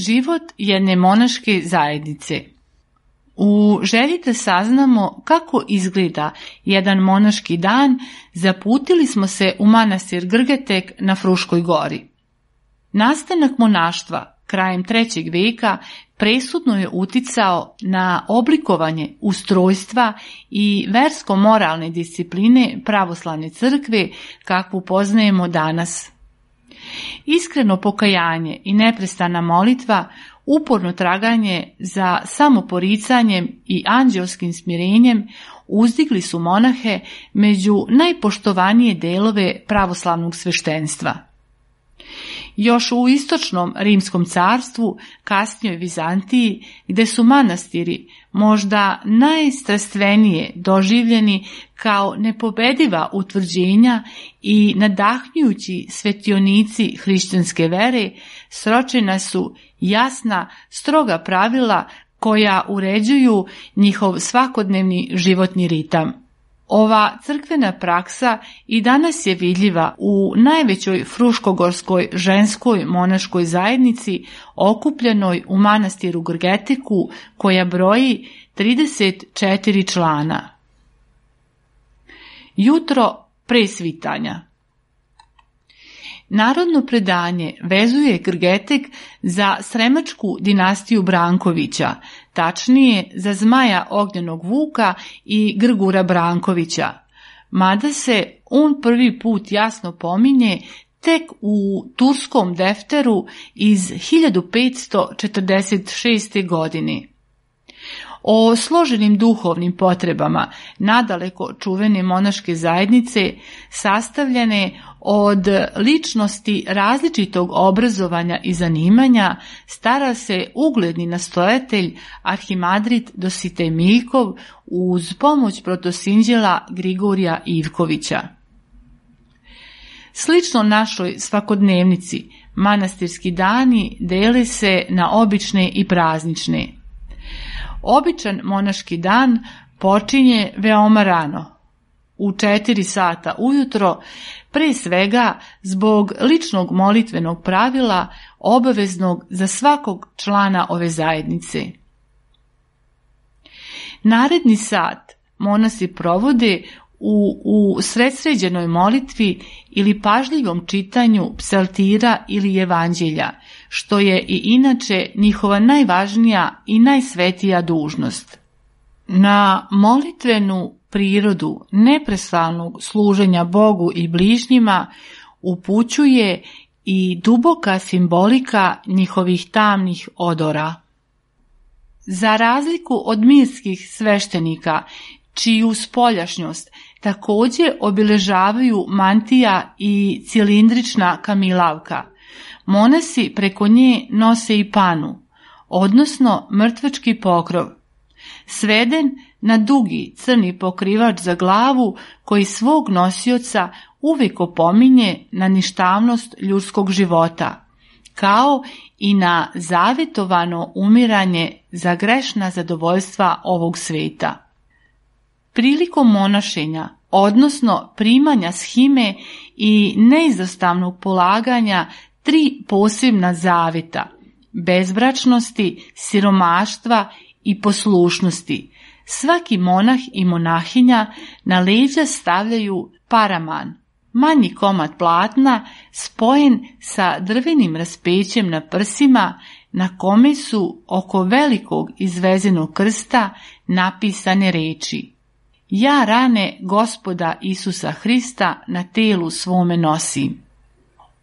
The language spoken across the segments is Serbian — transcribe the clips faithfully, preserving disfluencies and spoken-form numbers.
Život jedne monaške zajednice. U želji da saznamo kako izgleda jedan monaški dan, zaputili smo se u manastir Grgetek na Fruškoj gori. Nastanak monaštva krajem trećeg veka presudno je uticao na oblikovanje ustrojstva i versko-moralne discipline pravoslavne crkve kakvu poznajemo danas. Iskreno pokajanje i neprestana molitva, uporno traganje za samoporicanjem i anđelskim smirenjem uzdigli su monahe među najpoštovanije delove pravoslavnog sveštenstva. Još u istočnom Rimskom carstvu, kasnijoj Vizantiji, gde su manastiri možda najstrastvenije doživljeni kao nepobediva utvrđenja i nadahnjujući svetionici hrišćanske vere, sročena su jasna, stroga pravila koja uređuju njihov svakodnevni životni ritam. Ova crkvena praksa i danas je vidljiva u najvećoj fruškogorskoj ženskoj monaškoj zajednici okupljenoj u manastiru Grgeteku, koja broji trideset četiri člana. Jutro pre svitanja. Narodno predanje vezuje Grgetek za Sremačku dinastiju Brankovića, tačnije za Zmaja Ognjenog Vuka i Grgura Brankovića, mada se on prvi put jasno pominje tek u turskom defteru iz hiljadu petsto četrdeset šeste. godine. O složenim duhovnim potrebama nadaleko čuvene monaške zajednice, sastavljene Od ličnosti različitog obrazovanja i zanimanja stara se ugledni nastojatelj Arhimandrit Dositej Miljkov uz pomoć protosinđela Grigorija Ivkovića. Slično našoj svakodnevnici, manastirski dani dele se na obične i praznične. Običan monaški dan počinje veoma rano, u četiri sata ujutro, pre svega zbog ličnog molitvenog pravila obaveznog za svakog člana ove zajednice. Naredni sat monasi provode u, u sredsređenoj molitvi ili pažljivom čitanju psaltira ili evanđelja, što je i inače njihova najvažnija i najsvetija dužnost. Na molitvenu prirodu neprestanog služenja Bogu i bližnjima upućuje i duboka simbolika njihovih tamnih odora. Za razliku od mirskih sveštenika, čiju spoljašnjost također obilježavaju mantija i cilindrična kamilavka, monasi preko nje nose i panu, odnosno mrtvački pokrov, sveden na dugi crni pokrivač za glavu koji svog nosioca uvijek opominje na ništavnost ljudskog života, kao i na zavetovano umiranje za grešna zadovoljstva ovog sveta. Prilikom monašenja, odnosno primanja shime i neizostavnog polaganja tri posebna zaveta, bezbračnosti, siromaštva i poslušnosti, svaki monah i monahinja na leđa stavljaju paraman, manji komad platna spojen sa drvenim raspećem na prsima, na kome su oko velikog izvezenog krsta napisane reči: Ja rane Gospoda Isusa Hrista na telu svome nosim.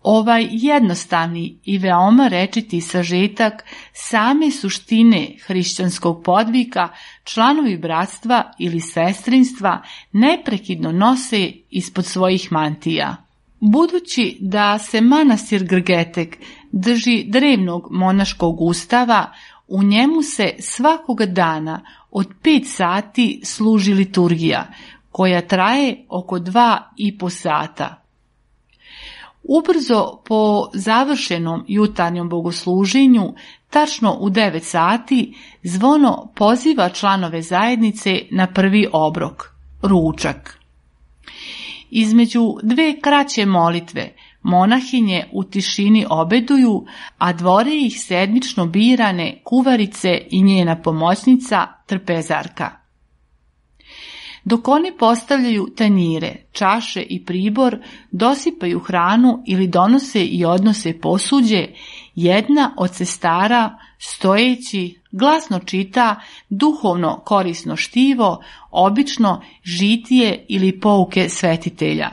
Ovaj jednostavni i veoma rečiti sažetak same suštine hrišćanskog podvika članovi bratstva ili sestrinstva neprekidno nose ispod svojih mantija. Budući da se manastir Grgetek drži drevnog monaškog ustava, u njemu se svakoga dana od pet sati služi liturgija, koja traje oko dva i po sata. Ubrzo po završenom jutarnjem bogosluženju, tačno u devet sati, zvono poziva članove zajednice na prvi obrok, ručak. Između dve kraće molitve, monahinje u tišini obeduju, a dvore ih sedmično birane kuvarice i njena pomoćnica trpezarka. Dok oni postavljaju tanjire, čaše i pribor, dosipaju hranu ili donose i odnose posuđe, jedna od sestara, stojeći, glasno čita duhovno korisno štivo, obično žitije ili pouke svetitelja.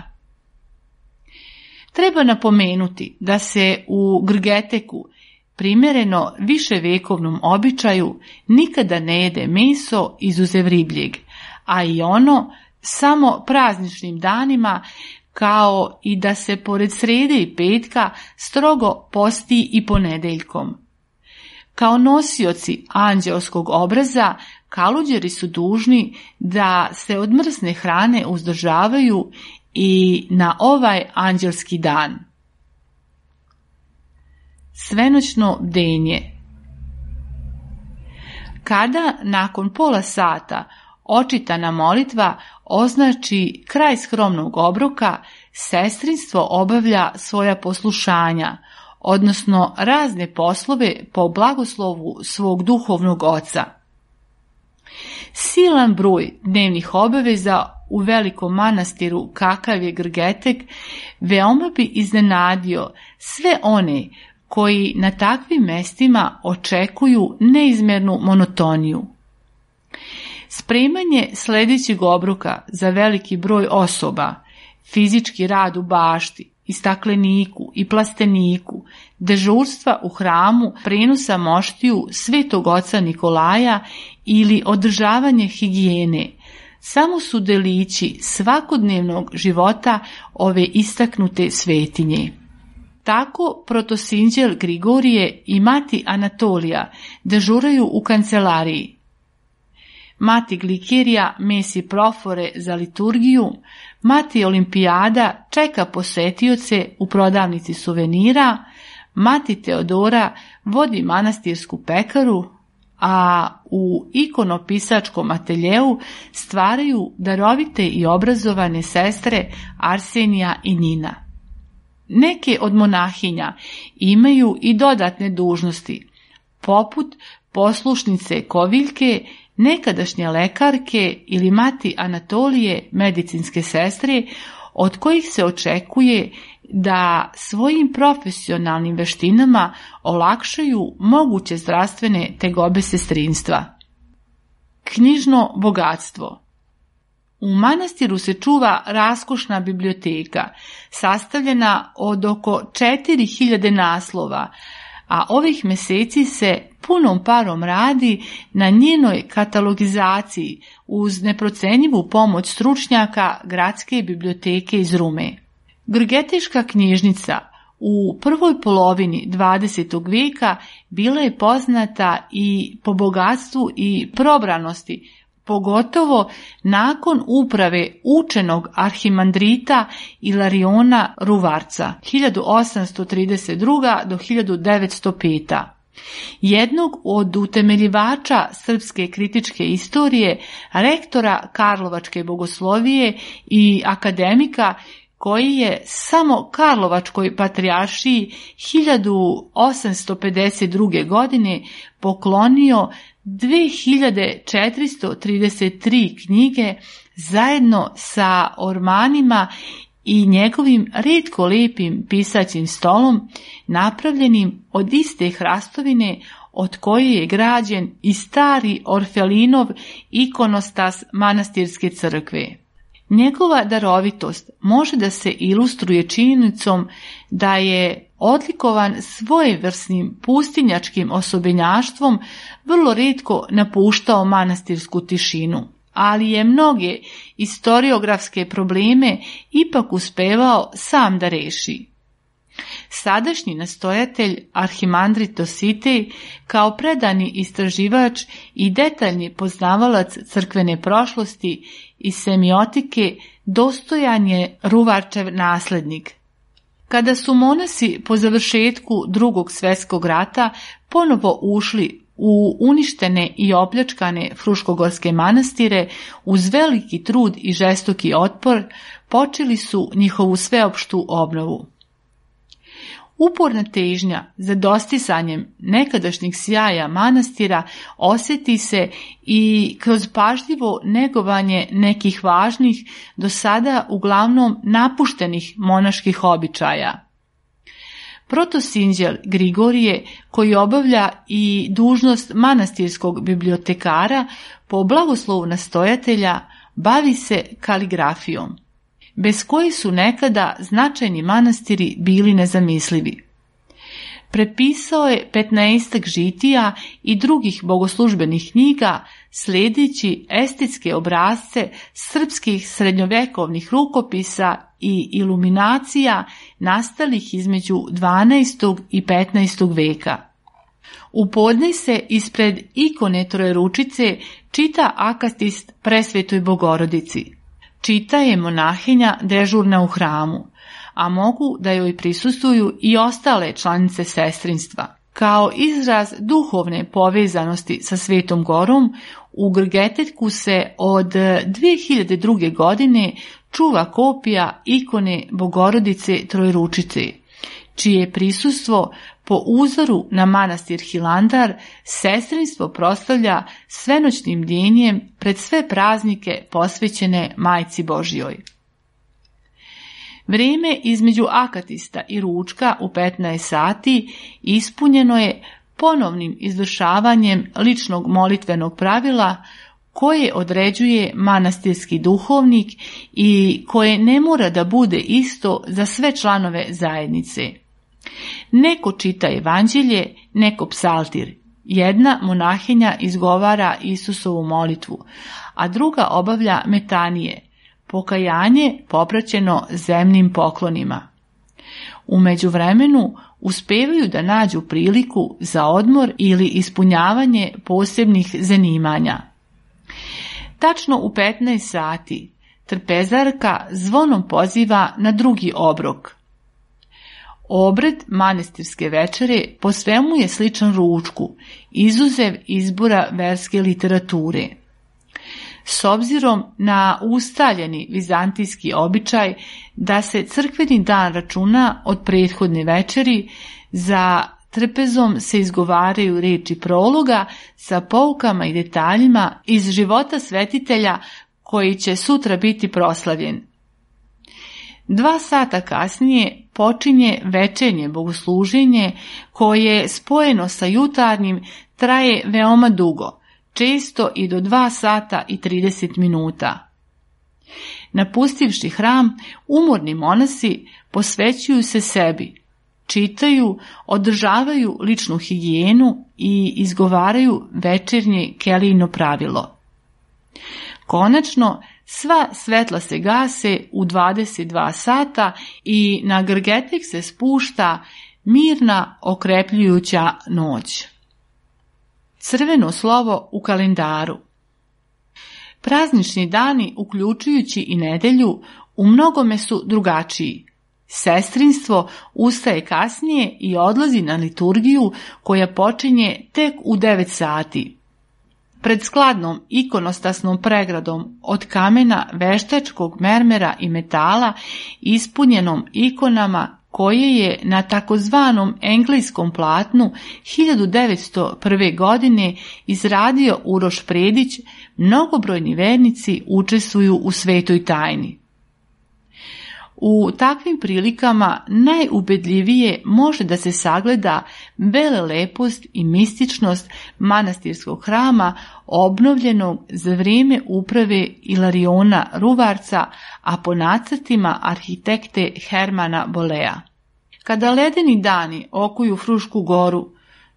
Treba napomenuti da se u Grgeteku, primjereno viševekovnom običaju, nikada ne jede meso izuzev ribljeg, a i ono samo prazničnim danima, kao i da se pored srede i petka strogo posti i ponedeljkom. Kao nosioci anđeoskog obraza, kaluđeri su dužni da se od mrsne hrane uzdržavaju i na ovaj anđelski dan. Svenoćno bdenje. Kada nakon pola sata očitana molitva označi kraj skromnog obroka, sestrinstvo obavlja svoja poslušanja, odnosno razne poslove po blagoslovu svog duhovnog oca. Silan broj dnevnih obaveza u velikom manastiru kakav je Grgetek veoma bi iznenadio sve one koji na takvim mestima očekuju neizmjernu monotoniju. Spremanje sljedećeg obroka za veliki broj osoba, fizički rad u bašti, i stakleniku i plasteniku, dežurstva u hramu, prenosa moštiju Svetog oca Nikolaja ili održavanje higijene, samo su delići svakodnevnog života ove istaknute svetinje. Tako protosinđel Grigorije i mati Anatolija dežuraju u kancelariji. Mati Glikerija mesi profore za liturgiju, mati Olimpijada čeka posetioce u prodavnici suvenira, mati Teodora vodi manastirsku pekaru, a u ikonopisačkom ateljeu stvaraju darovite i obrazovane sestre Arsenija i Nina. Neke od monahinja imaju i dodatne dužnosti, poput poslušnice Koviljke, nekadašnje lekarke ili mati Anatolije, medicinske sestre, od kojih se očekuje da svojim profesionalnim veštinama olakšaju moguće zdravstvene tegobe sestrinstva. Knjižno bogatstvo. U manastiru se čuva raskošna biblioteka, sastavljena od oko četiri hiljade naslova, a ovih meseci se punom parom radi na njenoj katalogizaciji uz neprocenjivu pomoć stručnjaka Gradske biblioteke iz Rume. Grgeteška knjižnica u prvoj polovini dvadesetog vijeka bila je poznata i po bogatstvu i probranosti, pogotovo nakon uprave učenog arhimandrita Ilariona Ruvarca hiljadu osamsto trideset druga do hiljadu devetsto peta. Jednog od utemeljivača srpske kritičke istorije, rektora Karlovačke bogoslovije i akademika koji je samo Karlovačkoj patrijaršiji hiljadu osamsto pedeset druge. godine poklonio dve hiljade četiristo trideset tri knjige zajedno sa ormanima i njegovim retko lijepim pisaćim stolom, napravljenim od iste hrastovine od koje je građen i stari Orfelinov ikonostas manastirske crkve. Njegova darovitost može da se ilustruje činjenicom da je odlikovan svojevrsnim pustinjačkim osobenjaštvom, vrlo rijetko napuštao manastirsku tišinu, ali je mnoge historiografske probleme ipak uspevao sam da reši. Sadašnji nastojatelj arhimandrit Dositej, kao predani istraživač i detaljni poznavalac crkvene prošlosti i semiotike, dostojan je Ruvarčev naslednik. Kada su monasi po završetku Drugog svjetskog rata ponovo ušli u uništene i opljačkane fruškogorske manastire, uz veliki trud i žestoki otpor, počeli su njihovu sveopštu obnovu. Uporna težnja za dostisanjem nekadašnjeg sjaja manastira osjeti se i kroz pažljivo negovanje nekih važnih, do sada uglavnom napuštenih monaških običaja. Protosinđel Grigorije, koji obavlja i dužnost manastirskog bibliotekara, po blagoslovu nastojatelja bavi se kaligrafijom, bez koji su nekada značajni manastiri bili nezamislivi. Prepisao je petnaestak žitija i drugih bogoslužbenih knjiga, sljedeći estetske obrasce srpskih srednjovekovnih rukopisa i iluminacija nastalih između dvanaestog i petnaestog veka. U podne se ispred ikone Trojeručice čita akatist Presvetoj Bogorodici. Čita je monahinja dežurna u hramu, a mogu da joj prisustvuju i ostale članice sestrinstva. Kao izraz duhovne povezanosti sa Svetom Gorom, u Grgetetku se od dve hiljade druge. godine čuva kopija ikone Bogorodice Trojeručice, čije prisustvo po uzoru na manastir Hilandar sestrinstvo proslavlja svenoćnim bdjenjem pred sve praznike posvećene Majci Božjoj. Vrijeme između akatista i ručka u petnaest sati ispunjeno je ponovnim izvršavanjem ličnog molitvenog pravila koje određuje manastirski duhovnik i koje ne mora da bude isto za sve članove zajednice. Neko čita evanđelje, neko psaltir, Jedna monahinja izgovara Isusovu molitvu, a druga obavlja metanije, pokajanje popraćeno zemnim poklonima. U međuvremenu uspevaju da nađu priliku za odmor ili ispunjavanje posebnih zanimanja. Tačno u petnaest sati trpezarka zvonom poziva na drugi obrok. Obred manastirske večere po svemu je sličan ručku, izuzev izbora verske literature. S obzirom na ustaljeni vizantijski običaj da se crkveni dan računa od prethodne večeri, za trpezom se izgovaraju riječi prologa sa poukama i detaljima iz života svetitelja koji će sutra biti proslavljen. Dva sata kasnije počinje večernje bogosluženje koje spojeno sa jutarnjim traje veoma dugo, često i do dva sata i trideset minuta. Napustivši hram, umorni monasi posvećuju se sebi, čitaju, održavaju ličnu higijenu i izgovaraju večernje kelijino pravilo. Konačno, sva svetla se gase u dvadeset dva sata i na Grgetek se spušta mirna, okrepljujuća noć. Crveno slovo u kalendaru. Praznični dani, uključujući i nedelju, u mnogome su drugačiji. Sestrinstvo ustaje kasnije i odlazi na liturgiju koja počinje tek u devet sati. Pred skladnom ikonostasnom pregradom od kamena, veštačkog mermera i metala ispunjenom ikonama koje je na takozvanom engleskom platnu hiljadu devetsto prve. godine izradio Uroš Predić, mnogobrojni vernici učestvuju u svetoj tajni. U takvim prilikama najubedljivije može da se sagleda velelepost i mističnost manastirskog hrama obnovljenog za vrijeme uprave Ilariona Ruvarca, a po nacrtima arhitekte Hermana Bolea. Kada ledeni dani okuju Frušku goru,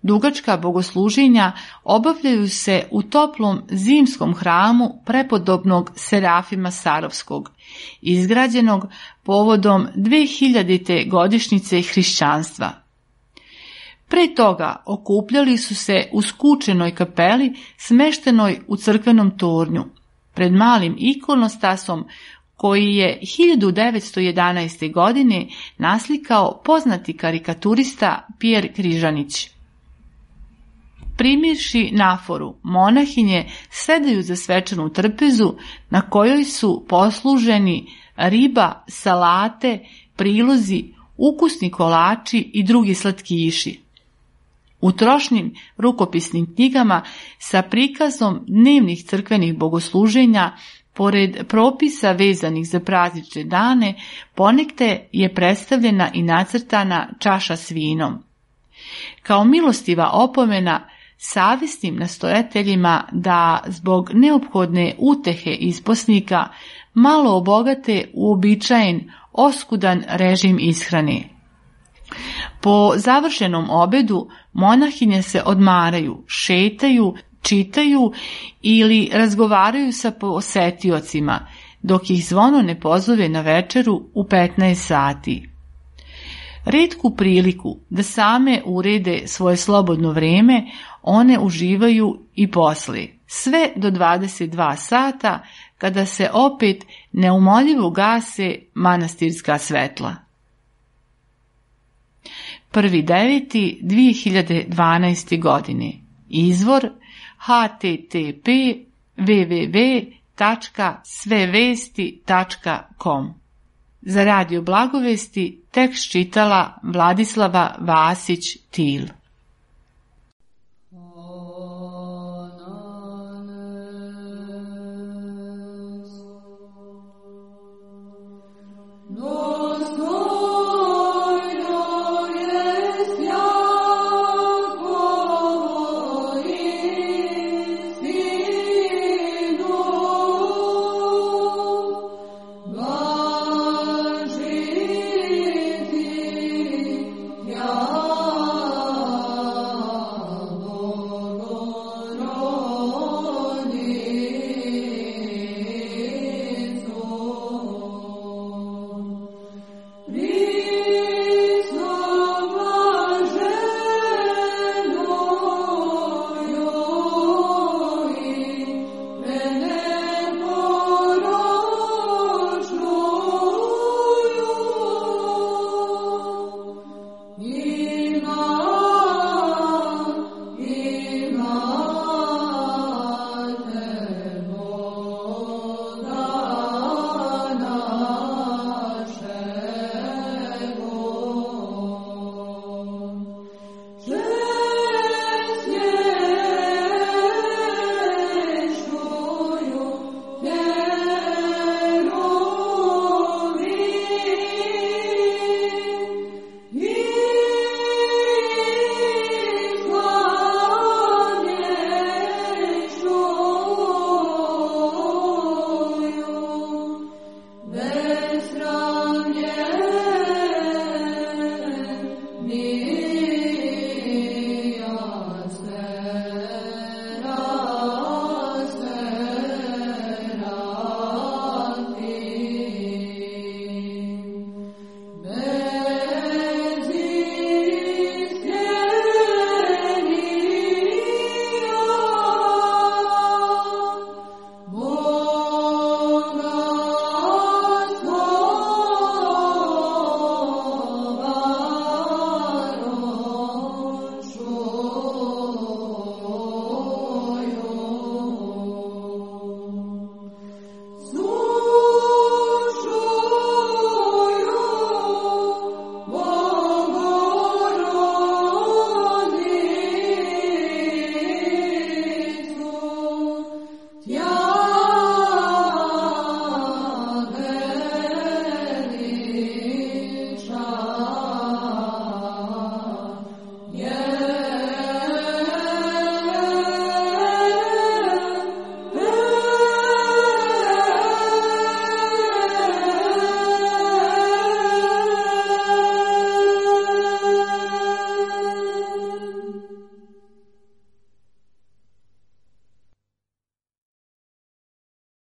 dugačka bogosluženja obavljaju se u toplom zimskom hramu prepodobnog Serafima Sarovskog, izgrađenog povodom dvehiljadite godišnjice hrišćanstva. Pre toga okupljali su se u skučenoj kapeli smeštenoj u crkvenom tornju, pred malim ikonostasom koji je hiljadu devetsto jedanaeste. godine naslikao poznati karikaturista Pjer Križanić. Primirši naforu, monahinje sedaju za svečanu trpezu na kojoj su posluženi riba, salate, prilozi, ukusni kolači i drugi slatkiši. U trošnim rukopisnim knjigama sa prikazom dnevnih crkvenih bogosluženja, pored propisa vezanih za praznične dane, ponekad je predstavljena i nacrtana čaša s vinom. Kao milostiva opomena savjesnim nastojateljima da zbog neophodne utehe isposnika malo obogate uobičajen oskudan režim ishrane. Po završenom obedu monahinje se odmaraju, šetaju, čitaju ili razgovaraju sa posetiocima, dok ih zvono ne pozove na večeru u petnaest sati. Retku priliku da same urede svoje slobodno vrijeme one uživaju i poslije, sve do dvadeset dva sata, kada se opet neumoljivo gase manastirska svetla. prvi deveti dve hiljade dvanaeste. godine. Izvor h t t p w w w tačka svevesti tačka com. Za Radio Blagovesti tekst čitala Vladislava Vasić Til.